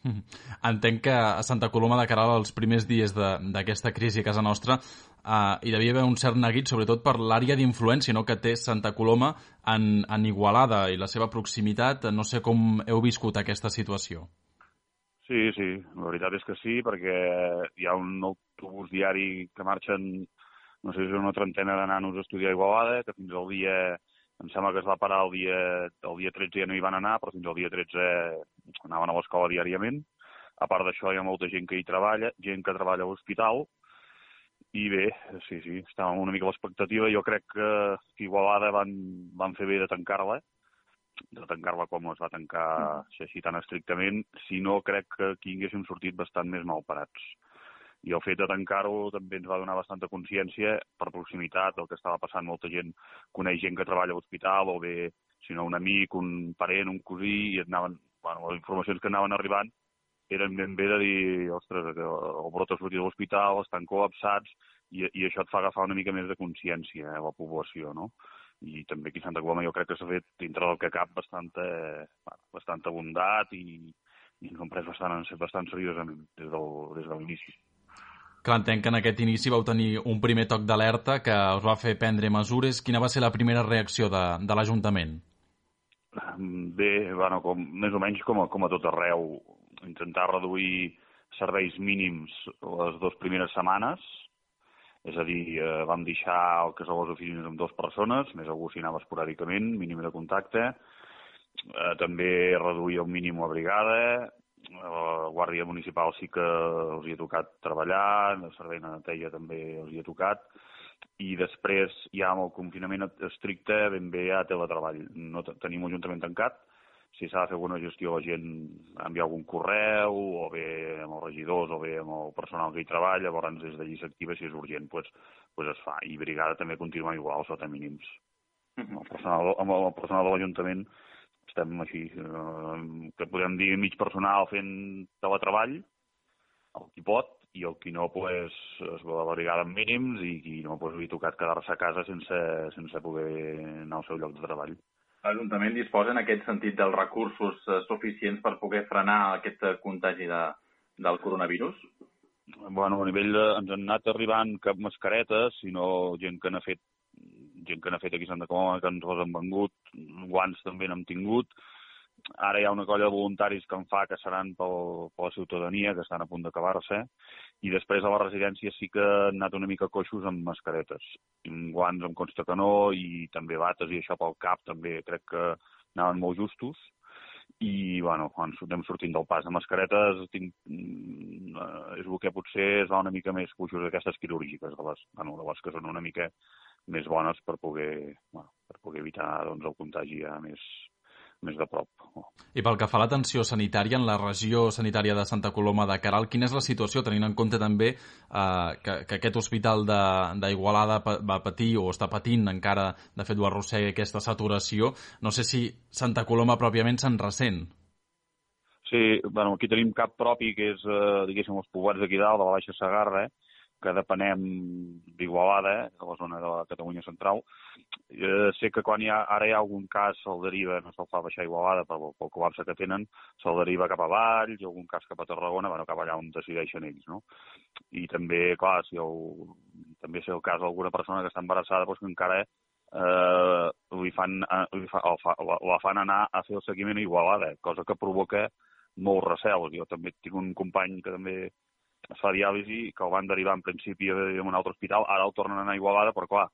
Entenc que a Santa Coloma de Queralt els primers dies d'aquesta crisi a casa nostra eh, hi devia haver un cert neguit, sobretot per l'àrea d'influència, no?, que té Santa Coloma en, en Igualada i la seva proximitat. No sé com heu viscut aquesta situació.
Sí, sí, la veritat és que sí, perquè hi ha un autobús diari que marxen, no sé si és una trentena de nanos a estudiar a Igualada, que fins al dia... Em sembla que es va parar el dia, el dia tretze ja no hi van anar, però fins al dia tretze anaven a l'escola diàriament. A part d'això hi ha molta gent que hi treballa, gent que treballa a l'hospital, i bé, sí, sí, estàvem una mica a l'expectativa. Jo crec que Igualada van, van fer bé de tancar-la, de tancar-la com es va tancar així tan estrictament, si no crec que aquí haguéssim sortit bastant més mal parats. I el fet de tancar-ho també ens va donar bastanta consciència per proximitat del que estava passant. Molta gent coneix gent que treballa a l'hospital o bé, si no, un amic, un parent, un cosí, i et anaven, bueno, les informacions que anaven arribant eren ben bé de dir, ostres, el brot ha sortit de l'hospital, estan col·lapsats, i, i això et fa agafar una mica més de consciència a la població, no? I també aquí a Santa Coloma jo crec que s'ha fet, dintre del que cap, bastanta, bastanta bondat i, i ens ho hem pres bastant, bastant seriosament des del, des de l'inici.
Clar, entenc que en aquest inici vau tenir un primer toc d'alerta que us va fer prendre mesures. Quina va ser la primera reacció de, de l'Ajuntament?
Bé, bueno, com, més o menys com a, com a tot arreu. Intentar reduir serveis mínims les dues primeres setmanes. És a dir, eh, vam deixar el que són les oficines amb dues persones, més algú s'hi anava esporàdicament, mínim de contacte. Eh, també reduir el mínim la brigada. la Guàrdia Municipal sí que els hi ha tocat treballar, el servei de neteja també els hi ha tocat, i després ja amb el confinament estricte ben bé ja teletreball. No tenim un ajuntament tancat, si s'ha de fer alguna gestió la gent envia algun correu, o bé amb els regidors, o bé amb el personal que hi treballa, llavors des d'allí s'activa, si és urgent, doncs, doncs es fa. I brigada també continua igual, sota mínims. Amb el personal, amb el personal de l'Ajuntament estem així, eh, que podem dir mig personal fent teletreball, el qui pot, i el qui no pues, es va a la brigada amb mínims i qui no pues, li ha tocat quedar-se a casa sense, sense poder anar al seu lloc de treball.
L'Ajuntament disposa en aquest sentit dels recursos suficients per poder frenar aquest contagi de, del coronavirus?
Bueno, a nivell de, ens han anat arribant cap mascaretes, sinó gent que n'ha fet gent que n'ha fet aquí a Santa Coloma, que ens les han vengut, guants també n'hem tingut. Ara hi ha una colla de voluntaris que en fa, que seran pel, per la ciutadania, que estan a punt d'acabar-se, i després a la residència sí que han anat una mica coixos amb mascaretes. Guants em consta que no, i també bates i això pel cap també crec que anaven molt justos. I, bueno, quan anem sortint del pas de mascaretes, tinc, és el que potser es va una mica més coixos d'aquestes quirúrgiques, de les, bueno, de les que són una mica més bones per poder, bueno, per poder evitar doncs, el contagi ja més, més de prop.
I pel que fa a l'atenció sanitària en la regió sanitària de Santa Coloma de Queralt, quina és la situació, tenint en compte també eh, que, que aquest hospital d'Igualada va patir o està patint encara, de fet ho arrossega aquesta saturació, no sé si Santa Coloma pròpiament se'n ressent.
Sí, bueno, aquí tenim cap propi, que és, eh, diguéssim, els poblats d'aquí dalt, de la Baixa Segarra, eh? que depenem d'Igualada, eh, de la zona de la Catalunya central. Eh, sé que quan hi ha, ara hi ha algun cas se'l deriva, no se'l fa baixar a Igualada pel, pel col·lapse que tenen, se'l deriva cap a Valls, i algun cas cap a Tarragona, bueno, cap allà on decideixen ells, no? I també, clar, si el, també sé el cas d'alguna persona que està embarassada, doncs que encara eh, li fan, li fa, fa, la, la fan anar a fer el seguiment a Igualada, cosa que provoca molt recel. Jo també tinc un company que també es fa diàlisi, que el van derivar en principi a un altre hospital, ara el tornen a anar a Igualada, però clar,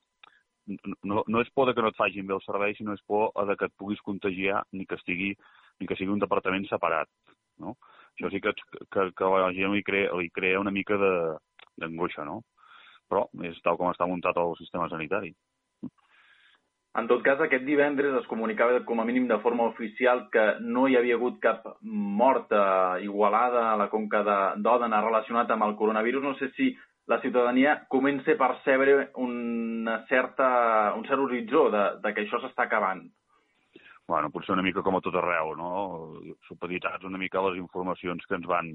no, no és por de que no et facin bé el servei, sinó és por de que et puguis contagiar ni que estigui, ni que sigui un departament separat, no? Això sí que, que, que la gent li crea, li crea una mica d'angoixa, no? Però és tal com està muntat el sistema sanitari.
En tot cas, aquest divendres es comunicava com a mínim de forma oficial que no hi havia hagut cap mort a Igualada, a la conca d'Òdena, relacionat amb el coronavirus. No sé si la ciutadania comença a percebre una certa, un cert horitzó de, de que això s'està acabant.
Bueno, potser una mica com a tot arreu, no? Supeditats una mica a les informacions que ens van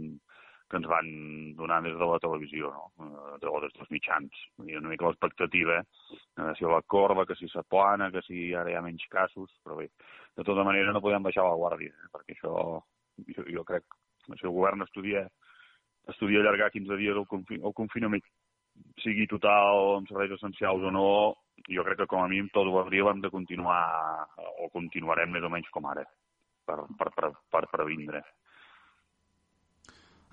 que ens van donar des de la televisió, no? De des dels mitjans. Hi ha una mica l'expectativa, eh? Si la corba, que si s'aplana, que si ara hi ha menys casos, però bé, de tota manera no podem baixar la guàrdia, eh? Perquè això, jo, jo crec, si el govern estudia, estudia allargar quinze dies el, confi el confinament, sigui total amb serveis essencials o no, jo crec que com a mínim tot l'abril hem de continuar, o continuarem més o menys com ara, per, per, per, per previndre.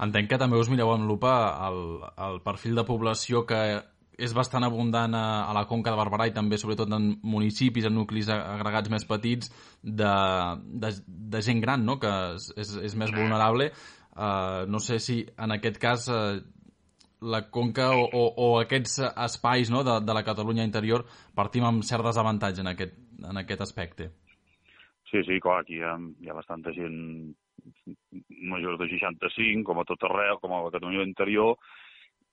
Entenc que també us mireu amb lupa el, el perfil de població que és bastant abundant a, a la Conca de Barberà i també sobretot en municipis, en nuclis agregats més petits de, de, de gent gran, no? Que és, és, és més vulnerable. Uh, no sé si en aquest cas uh, la Conca o, o, o aquests espais, no? de, de la Catalunya interior partim amb cert desavantatge en aquest, en aquest aspecte.
Sí, sí, clar, aquí hi ha, hi ha bastanta gent majors de seixanta-cinc, com a tot arreu, com a la Catalunya interior,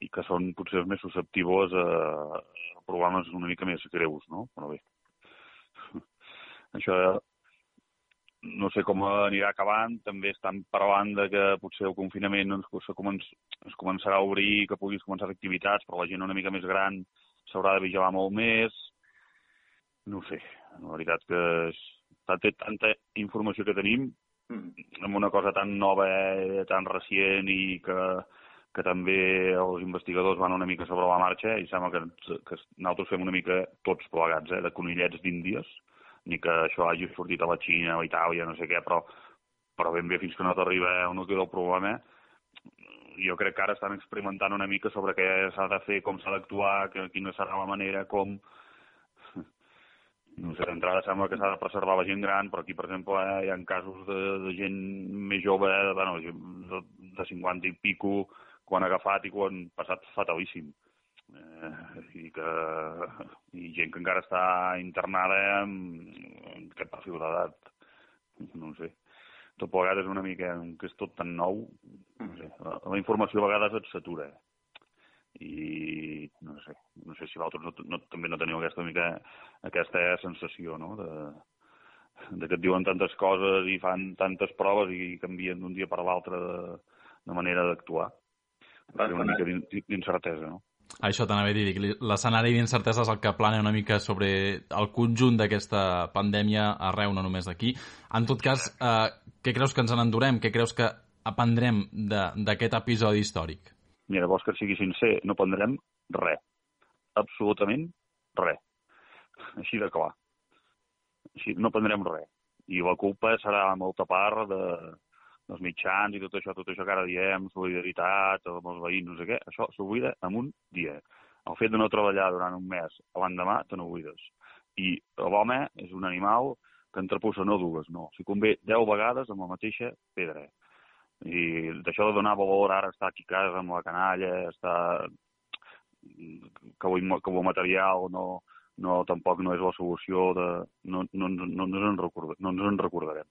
i que són potser més susceptibles a, a problemes una mica més greus, no? Però bé, això no sé com anirà acabant. També estan parlant de que potser el confinament doncs, es, començ, es començarà a obrir, que puguis començar a fer activitats, però la gent una mica més gran s'haurà de vigilar molt més. No ho sé, la veritat que és tanta, tanta informació que tenim, amb una cosa tan nova, eh, tan recient i que, que també els investigadors van una mica sobre la marxa i sembla que, que nosaltres fem una mica tots plegats, eh, de conillets d'Índies, ni que això hagi sortit a la Xina o a Itàlia, no sé què, però, però ben bé fins que no t'arriba un nucli del problema, jo crec que ara estan experimentant una mica sobre què s'ha de fer, com s'ha d'actuar, quina serà la manera, com... no sé, d'entrada sembla que s'ha de preservar la gent gran, però aquí, per exemple, eh, hi ha casos de, de gent més jove, eh, bueno, de, de cinquanta i pico, quan ha agafat i quan ha passat fatalíssim. Eh, i, que, i gent que encara està internada en, en aquest perfil d'edat, no sé. Tot plegat és una mica, que és tot tan nou, no sé, la, la informació a vegades et satura, eh? I no sé, no sé si vosaltres no, no, també no teniu aquesta mica aquesta sensació, no?, de, de que et diuen tantes coses i fan tantes proves i canvien d'un dia per l'altre de, de manera d'actuar. És una mica d'incertesa, no?
Això t'anava a dir, l'escenari d'incertesa és el que plana una mica sobre el conjunt d'aquesta pandèmia arreu, no només d'aquí. En tot cas, eh, què creus que ens n'endurem? Què creus que aprendrem d'aquest episodi històric?
Mira, vols que sigui sincer, no prendrem res. Absolutament res. Així de clar. Així, no prendrem res. I la culpa serà molta part de, dels mitjans i tot això, tot això que ara diem, solidaritat, amb els veïns, no sé què, això s'oblida en un dia. El fet de no treballar durant un mes, l'endemà te n'oblides. I l'home és un animal que entrepussa no dues, no. Si convé deu vegades amb la mateixa pedra. I d'això de donar valor ara estar aquí a casa amb la canalla, estar que el material no, no, tampoc no és la solució, de, no, no, no, no, ens en recorda, no ens en recordarem.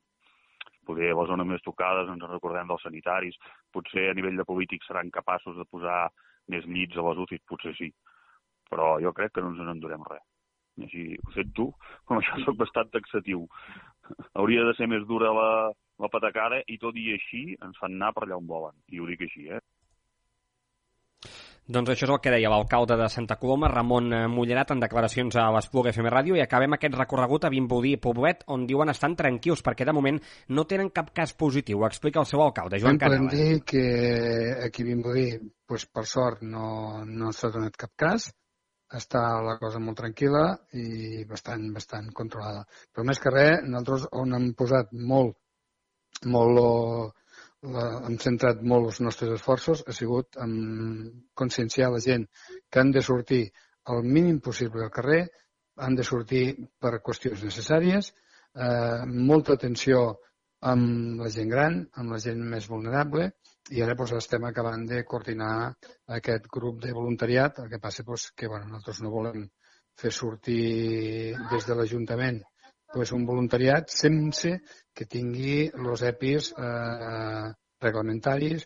Potser a les zones més tocades ens en recordem dels sanitaris, potser a nivell de polítics seran capaços de posar més llits a les U C Is, potser sí, però jo crec que no ens en endurem res. I així ho sento tu, com això soc bastant taxatiu. Hauria de ser més dura la la patacada i tot i així ens fan anar per allà on volen. I ho dic així, eh?
Doncs això és el que deia l'alcalde de Santa Coloma, Ramon Mullerat, en declaracions a l'Espluga F M Ràdio, i acabem aquest recorregut a Vimbodí i Poblet, on diuen estan tranquils perquè de moment no tenen cap cas positiu. Ho explica el seu alcalde, Joan Canela.
Podem dir que aquí a Vimbodí, pues, per sort, no, no s'ha donat cap cas, està la cosa molt tranquil·la i bastant, bastant controlada. Però més que res, nosaltres on hem posat molt molt, la, hem centrat molt els nostres esforços, ha sigut en conscienciar la gent que han de sortir el mínim possible al carrer, han de sortir per qüestions necessàries, eh, molta atenció amb la gent gran, amb la gent més vulnerable, i ara doncs, estem acabant de coordinar aquest grup de voluntariat. El que passa doncs, que bueno, nosaltres no volem fer sortir des de l'Ajuntament pues un voluntariat sense que tingui els E P Is eh, reglamentaris.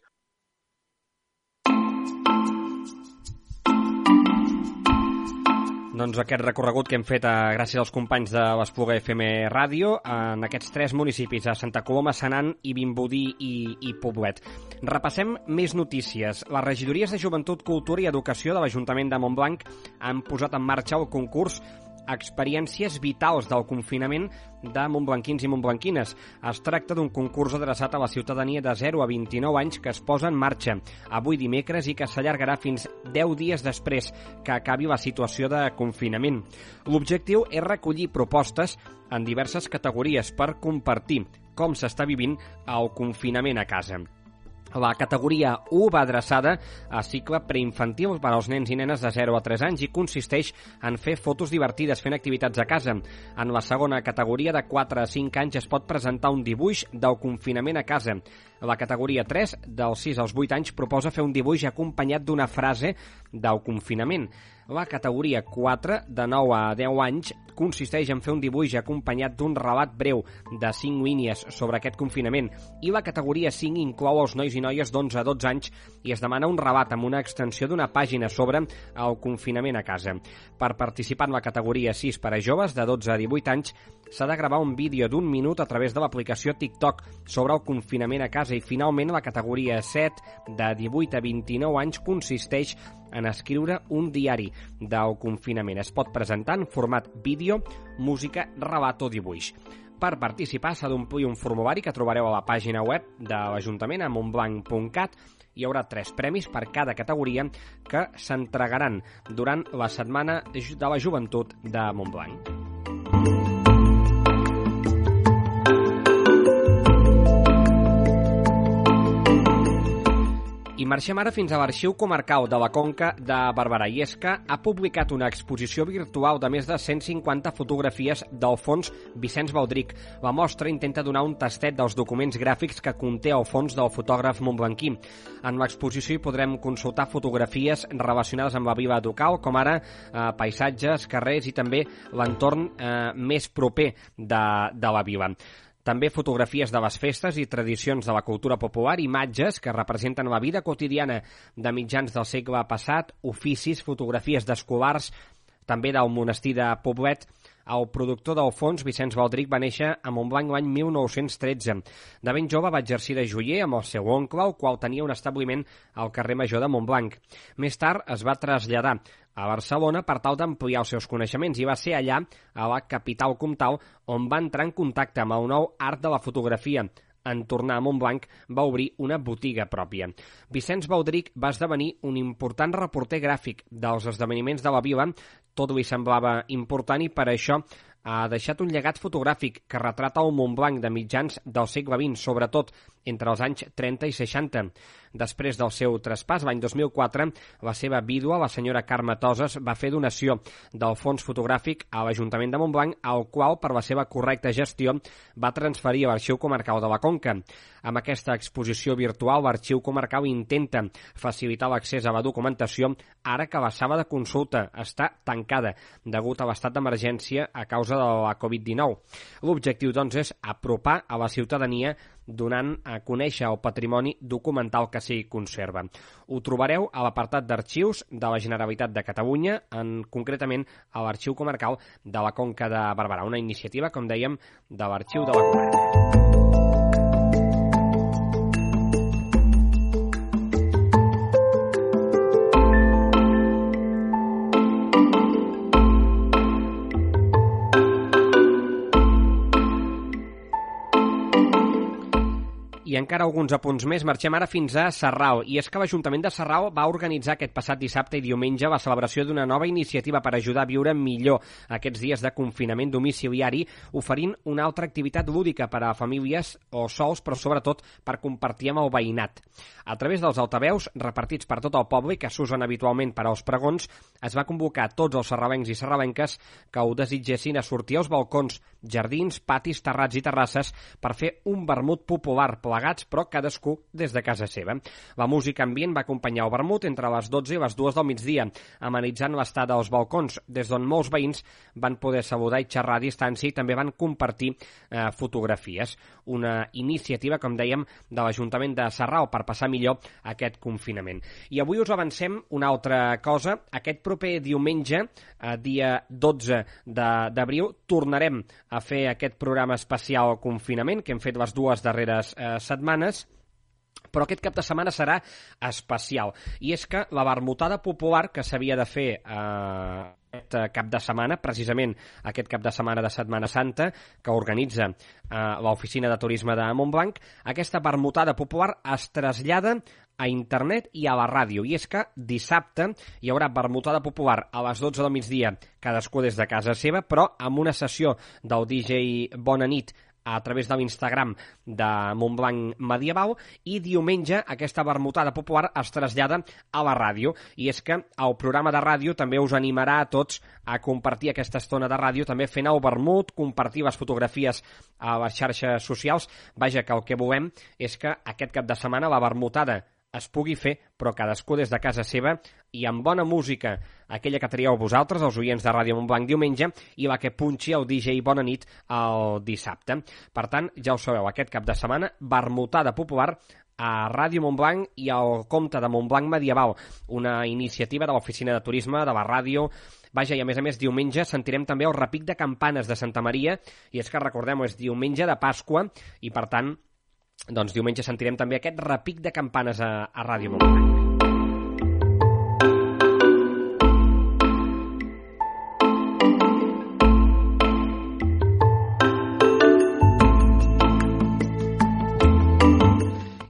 Doncs aquest recorregut que hem fet a, gràcies als companys de l'Espluga F M Ràdio en aquests tres municipis, a Santa Coloma, Senan i Vimbodí i, i Poblet. Repassem més notícies. Les regidories de Joventut, Cultura i Educació de l'Ajuntament de Montblanc han posat en marxa el concurs Experiències vitals del confinament de montblanquins i montblanquines. Es tracta d'un concurs adreçat a la ciutadania de zero a vint-i-nou anys que es posa en marxa avui dimecres i que s'allargarà fins deu dies després que acabi la situació de confinament. L'objectiu és recollir propostes en diverses categories per compartir com s'està vivint el confinament a casa. La categoria u va adreçada a cicle preinfantil per als nens i nenes de zero a tres anys i consisteix en fer fotos divertides fent activitats a casa. En la segona categoria, de quatre a cinc anys, es pot presentar un dibuix del confinament a casa. La categoria tres, dels sis als vuit anys, proposa fer un dibuix acompanyat d'una frase del confinament. La categoria quatre, de nou a deu anys, consisteix en fer un dibuix acompanyat d'un relat breu de cinc línies sobre aquest confinament, i la categoria cinc inclou els nois i noies d'onze a dotze anys i es demana un relat amb una extensió d'una pàgina sobre el confinament a casa. Per participar en la categoria sis per a joves de dotze a divuit anys s'ha de gravar un vídeo d'un minut a través de l'aplicació TikTok sobre el confinament a casa, i finalment la categoria set, de divuit a vint-i-nou anys, consisteix en escriure un diari del confinament. Es pot presentar en format vídeo, música, relat o dibuix. Per participar s'ha d'omplir un formulari que trobareu a la pàgina web de l'Ajuntament a montblanc punt cat. Hi haurà tres premis per cada categoria que s'entregaran durant la Setmana de la Joventut de Montblanc. I marxem ara fins a l'Arxiu Comarcal de la Conca de Barberà. I és que ha publicat una exposició virtual de més de cent cinquanta fotografies del fons Vicenç Baldric. La mostra intenta donar un tastet dels documents gràfics que conté el fons del fotògraf montblanquí. En l'exposició hi podrem consultar fotografies relacionades amb la vila local, com ara eh, paisatges, carrers i també l'entorn eh, més proper de, de la vila. També fotografies de les festes i tradicions de la cultura popular, imatges que representen la vida quotidiana de mitjans del segle passat, oficis, fotografies d'escolars, també del monestir de Poblet. El productor del fons, Vicenç Baldric, va néixer a Montblanc l'any mil nou-cents tretze. De ben jove va exercir de joier amb el seu oncle, el qual tenia un establiment al carrer Major de Montblanc. Més tard es va traslladar a Barcelona per tal d'ampliar els seus coneixements i va ser allà, a la capital comtal, on va entrar en contacte amb el nou art de la fotografia. En tornar a Montblanc va obrir una botiga pròpia. Vicenç Baldric va esdevenir un important reporter gràfic dels esdeveniments de la vila. Tot li semblava important i per això ha deixat un llegat fotogràfic que retrata el Montblanc de mitjans del segle vint, sobretot entre els anys trenta i seixanta. Després del seu traspàs, l'any dos mil quatre, la seva vídua, la senyora Carme Toses, va fer donació del fons fotogràfic a l'Ajuntament de Montblanc, al qual, per la seva correcta gestió, va transferir a l'Arxiu Comarcal de la Conca. Amb aquesta exposició virtual, l'Arxiu Comarcal intenta facilitar l'accés a la documentació ara que la sala de consulta està tancada degut a l'estat d'emergència a causa de la covid dinou. L'objectiu, doncs, és apropar a la ciutadania donant a conèixer el patrimoni documental que s'hi conserva. Ho trobareu a l'apartat d'arxius de la Generalitat de Catalunya, en, concretament a l'Arxiu Comarcal de la Conca de Barberà, una iniciativa, com dèiem, de l'Arxiu de la Comarca. I encara alguns apunts més. Marxem ara fins a Sarral. I és que l'Ajuntament de Sarral va organitzar aquest passat dissabte i diumenge la celebració d'una nova iniciativa per ajudar a viure millor aquests dies de confinament domiciliari, oferint una altra activitat lúdica per a famílies o sols, però sobretot per compartir amb el veïnat. A través dels altaveus, repartits per tot el poble, que s'usen habitualment per als pregons, es va convocar a tots els sarralencs i sarralenques que ho desitgessin a sortir als balcons, jardins, patis, terrats i terrasses per fer un vermut popular plegats, però cadascú des de casa seva. La música ambient va acompanyar el vermut entre les dotze i les dues del migdia, amenitzant l'estada als balcons, des d'on molts veïns van poder saludar i xerrar a distància i també van compartir eh, fotografies. Una iniciativa, com dèiem, de l'Ajuntament de Sarral per passar millor aquest confinament. I avui us avancem una altra cosa. Aquest proper diumenge, eh, dia dotze d'abril, tornarem a fer aquest programa especial confinament que hem fet les dues darreres eh, setmanes, però aquest cap de setmana serà especial. I és que la vermutada popular que s'havia de fer eh, aquest cap de setmana, precisament aquest cap de setmana de Setmana Santa, que organitza eh, l'Oficina de Turisme de Montblanc, aquesta vermutada popular es trasllada a internet i a la ràdio. I és que dissabte hi haurà vermutada popular a les dotze del migdia, cadascú des de casa seva, però amb una sessió del D J Bona Nit a través de l'Instagram de Montblanc Medieval, i diumenge aquesta vermutada popular es trasllada a la ràdio. I és que el programa de ràdio també us animarà a tots a compartir aquesta estona de ràdio, també fent el vermut, compartir les fotografies a les xarxes socials. Vaja, que el que volem és que aquest cap de setmana la vermutada es pugui fer, però cadascú des de casa seva i amb bona música, aquella que trieu vosaltres, els oients de Ràdio Montblanc diumenge, i la que punxi el D J Bona Nit el dissabte. Per tant, ja ho sabeu, aquest cap de setmana, vermutada popular a Ràdio Montblanc i al compte de Montblanc Medieval, una iniciativa de l'Oficina de Turisme, de la ràdio. Vaja, i a més a més, diumenge sentirem també el repic de campanes de Santa Maria, i és que, recordem-ho, és diumenge de Pasqua, i per tant, doncs diumenge sentirem també aquest repic de campanes a, a Ràdio Montblanc.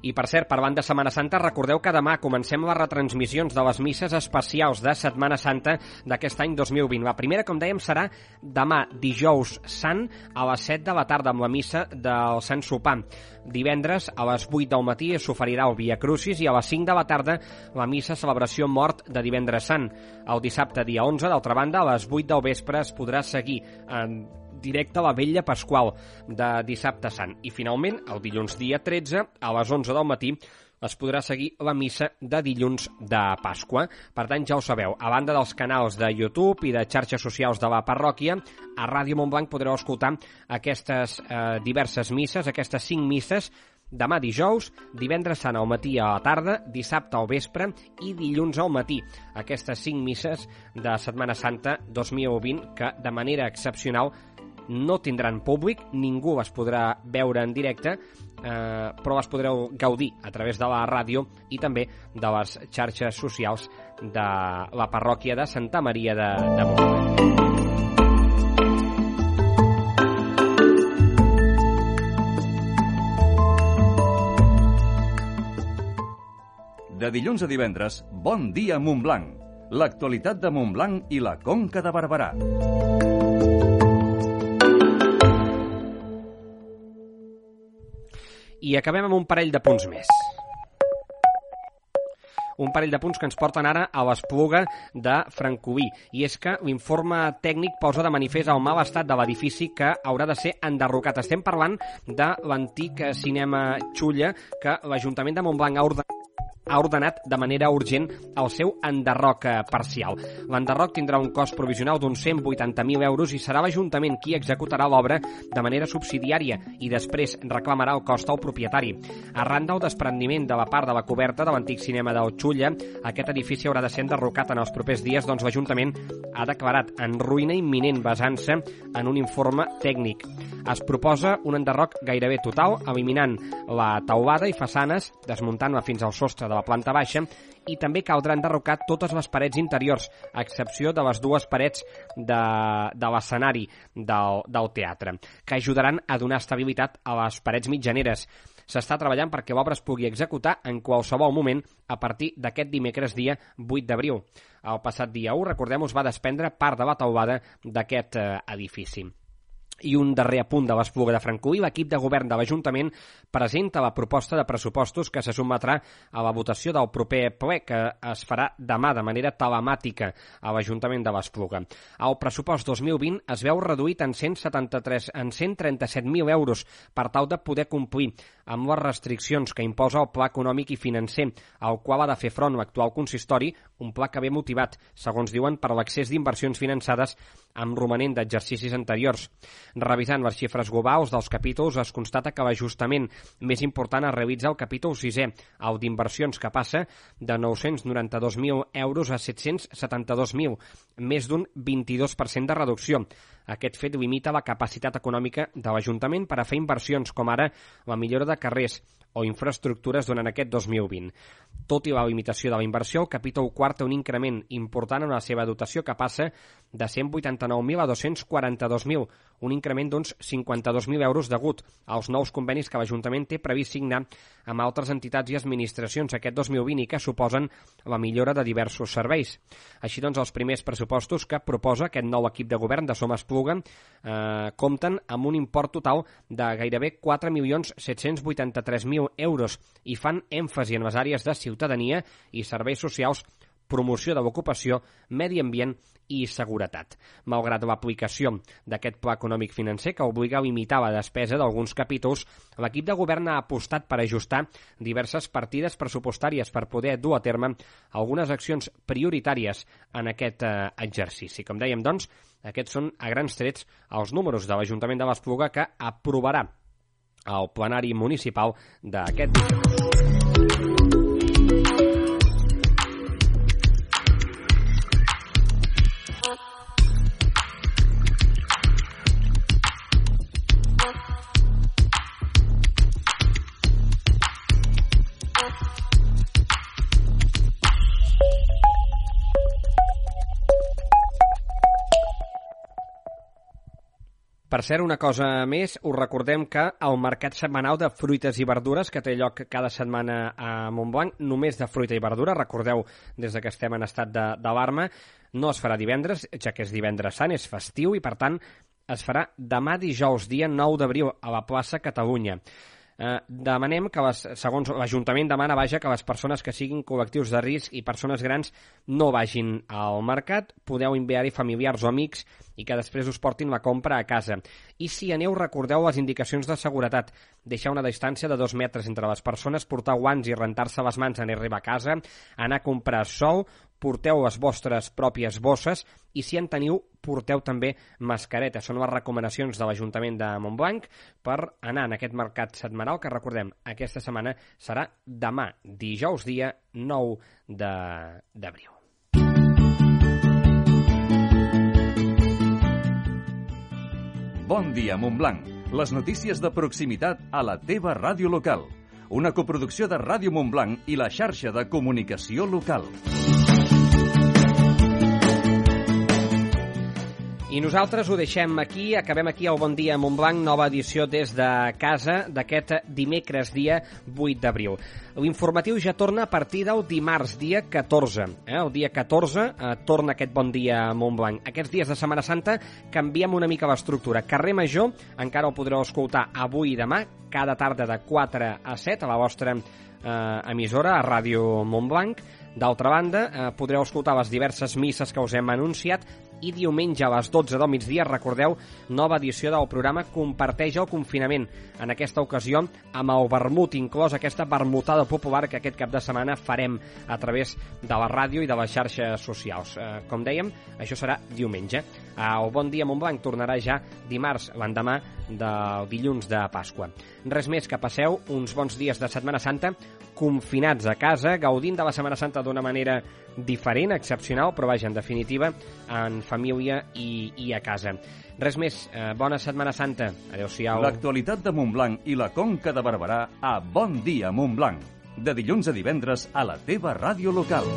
I I, per cert, parlant de Setmana Santa, recordeu que demà comencem les retransmissions de les misses especials de Setmana Santa d'aquest any dos mil vint. La primera, com dèiem, serà demà, dijous sant, a les set de la tarda, amb la missa del Sant Sopar. Divendres, a les vuit del matí, s'oferirà el Via Crucis i a les cinc de la tarda la missa celebració mort de Divendres Sant. El dissabte, dia onze, d'altra banda, a les vuit del vespre es podrà seguir en directe la Vetlla Pasqual de Dissabte Sant. I finalment, el dilluns dia tretze, a les onze del matí, es podrà seguir la missa de dilluns de Pasqua. Per tant, ja ho sabeu, a banda dels canals de YouTube i de xarxes socials de la parròquia, a Ràdio Montblanc podreu escoltar aquestes eh, diverses misses, aquestes cinc misses, demà dijous, divendres sant al matí a la tarda, dissabte al vespre i dilluns al matí. Aquestes cinc misses de Setmana Santa dos mil vint que, de manera excepcional, no tindran públic, ningú les podrà veure en directe, eh, però les podreu gaudir a través de la ràdio i també de les xarxes socials de la parròquia de Santa Maria de, de Montblanc.
De dilluns a divendres, Bon dia Montblanc. L'actualitat de Montblanc i la Conca de Barberà.
I acabem amb un parell de punts més. Un parell de punts que ens porten ara a l'Espluga de Francolí. I és que l'informe tècnic posa de manifest el mal estat de l'edifici que haurà de ser enderrocat. Estem parlant de l'antic cinema Xulla que l'Ajuntament de Montblanc ha ordenat ha ordenat de manera urgent el seu enderroc parcial. L'enderroc tindrà un cost provisional d'uns cent vuitanta mil euros i serà l'Ajuntament qui executarà l'obra de manera subsidiària i després reclamarà el cost al propietari. Arran del desprendiment de la part de la coberta de l'antic cinema del Xulla, aquest edifici haurà de ser enderrocat en els propers dies, doncs l'Ajuntament ha declarat en ruïna imminent basant-se en un informe tècnic. Es proposa un enderroc gairebé total, eliminant la teulada i façanes, desmuntant-la fins al sostre de la planta baixa, i també caldrà enderrocar totes les parets interiors, a excepció de les dues parets de, de l'escenari del, del teatre, que ajudaran a donar estabilitat a les parets mitjaneres. S'està treballant perquè l'obra es pugui executar en qualsevol moment a partir d'aquest dimecres dia vuit d'abril. El passat dia u, recordem, us va desprendre part de la teulada d'aquest eh, edifici. I un darrer apunt de l'Espluga de Francolí, l'equip de govern de l'Ajuntament presenta la proposta de pressupostos que se sotmetrà a la votació del proper ple, que es farà demà de manera telemàtica a l'Ajuntament de l'Espluga. El pressupost dos mil vint es veu reduït en cent setanta-tres en cent trenta-set mil euros per tal de poder complir amb les restriccions que imposa el Pla Econòmic i Financer, al qual ha de fer front l'actual consistori, un pla que ve motivat, segons diuen, per l'accés d'inversions finançades amb romanent d'exercicis anteriors. Revisant les xifres globals dels capítols, es constata que l'ajustament més important es realitza al capítol sisè, el d'inversions, que passa de nou-cents noranta-dos mil euros a set-cents setanta-dos mil, més d'un vint-i-dos per cent de reducció. Aquest fet limita la capacitat econòmica de l'Ajuntament per a fer inversions, com ara la millora de carrers o infraestructures durant aquest dos mil vint. Tot i la limitació de la inversió, el capítol quart té un increment important en la seva dotació que passa de cent vuitanta-nou mil a dos-cents quaranta-dos mil, un increment d'uns cinquanta-dos mil euros degut als nous convenis que l'Ajuntament té previst signar amb altres entitats i administracions aquest dos mil vint i que suposen la millora de diversos serveis. Així doncs, els primers pressupostos que proposa aquest nou equip de govern de Som Espluga eh, compten amb un import total de gairebé quatre milions set-cents vuitanta-tres mil euros i fan èmfasi en les àrees de ciutadania i serveis socials, promoció de l'ocupació, medi ambient i seguretat. Malgrat l'aplicació d'aquest pla econòmic financer que obliga a limitar la despesa d'alguns capítols, l'equip de govern ha apostat per ajustar diverses partides pressupostàries per poder dur a terme algunes accions prioritàries en aquest eh, exercici. Com dèiem, doncs, aquests són a grans trets els números de l'Ajuntament de l'Espluga que aprovarà el plenari municipal d'aquest dijous. Per cert, una cosa més, us recordem que el mercat setmanal de fruites i verdures que té lloc cada setmana a Montblanc, només de fruita i verdura, recordeu, des que estem en estat d'alarma, no es farà divendres, ja que és divendres sant, és festiu, i per tant es farà demà dijous, dia nou d'abril, a la plaça Catalunya. Eh, demanem que, les, segons l'Ajuntament demana, vaja, que les persones que siguin col·lectius de risc i persones grans no vagin al mercat, podeu enviar-hi familiars o amics i que després us portin la compra a casa. I si aneu, recordeu les indicacions de seguretat, deixar una distància de dos metres entre les persones, portar guants i rentar-se les mans en arribar a casa, anar a comprar sol, porteu les vostres pròpies bosses i si en teniu, porteu també mascareta. Són les recomanacions de l'Ajuntament de Montblanc per anar en aquest mercat setmanal que, recordem, aquesta setmana serà demà, dijous, dia nou d'abril.
Bon dia, Montblanc. Les notícies de proximitat a la teva ràdio local. Una coproducció de Ràdio Montblanc i la xarxa de comunicació local.
I nosaltres ho deixem aquí, acabem aquí el Bon Dia Montblanc, nova edició des de casa d'aquest dimecres, dia vuit d'abril. L'informatiu ja torna a partir del dimarts, dia catorze. Eh? El dia catorze eh, torna aquest Bon Dia Montblanc. Aquests dies de Setmana Santa canviem una mica l'estructura. Carrer Major encara ho podreu escoltar avui i demà, cada tarda de quatre a set a la vostra eh, emissora, a Ràdio Montblanc. D'altra banda, eh, podreu escoltar les diverses misses que us hem anunciat i diumenge a les dotze del migdia, recordeu, nova edició del programa Comparteix el confinament. En aquesta ocasió, amb el vermut inclòs, aquesta vermutada popular que aquest cap de setmana farem a través de la ràdio i de les xarxes socials. Eh, com dèiem, això serà diumenge. El Bon Dia Montblanc tornarà ja dimarts, l'endemà del dilluns de Pasqua. Res més, que passeu uns bons dies de Setmana Santa, confinats a casa, gaudint de la Setmana Santa d'una manera diferent, excepcional, però vaja, en definitiva, en família i, i a casa. Res més, eh, bona Setmana Santa. Adéu-siau.
L'actualitat de Montblanc i la Conca de Barberà a Bon Dia Montblanc. De dilluns a divendres a la teva ràdio local.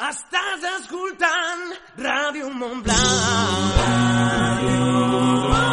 Estàs escoltant Ràdio Montblanc. Ràdio Montblanc.